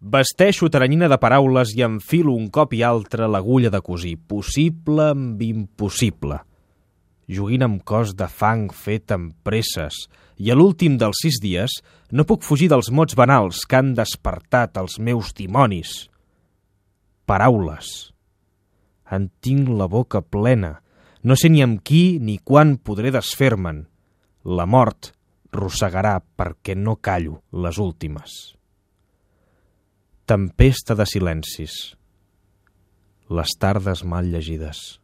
Vesteixo teranyina de paraules i enfilo un cop i altre l'agulla de cosir, possible amb impossible. Joguint amb cos de fang fet amb presses, i a l'últim dels 6 dies no puc fugir dels mots banals que han despertat els meus dimonis. Paraules. En tinc la boca plena. No sé ni amb qui ni quan podré desfer-me'n. La mort rossegarà perquè no callo les últimes. Tempesta de silencis. Les tardes mal llegides.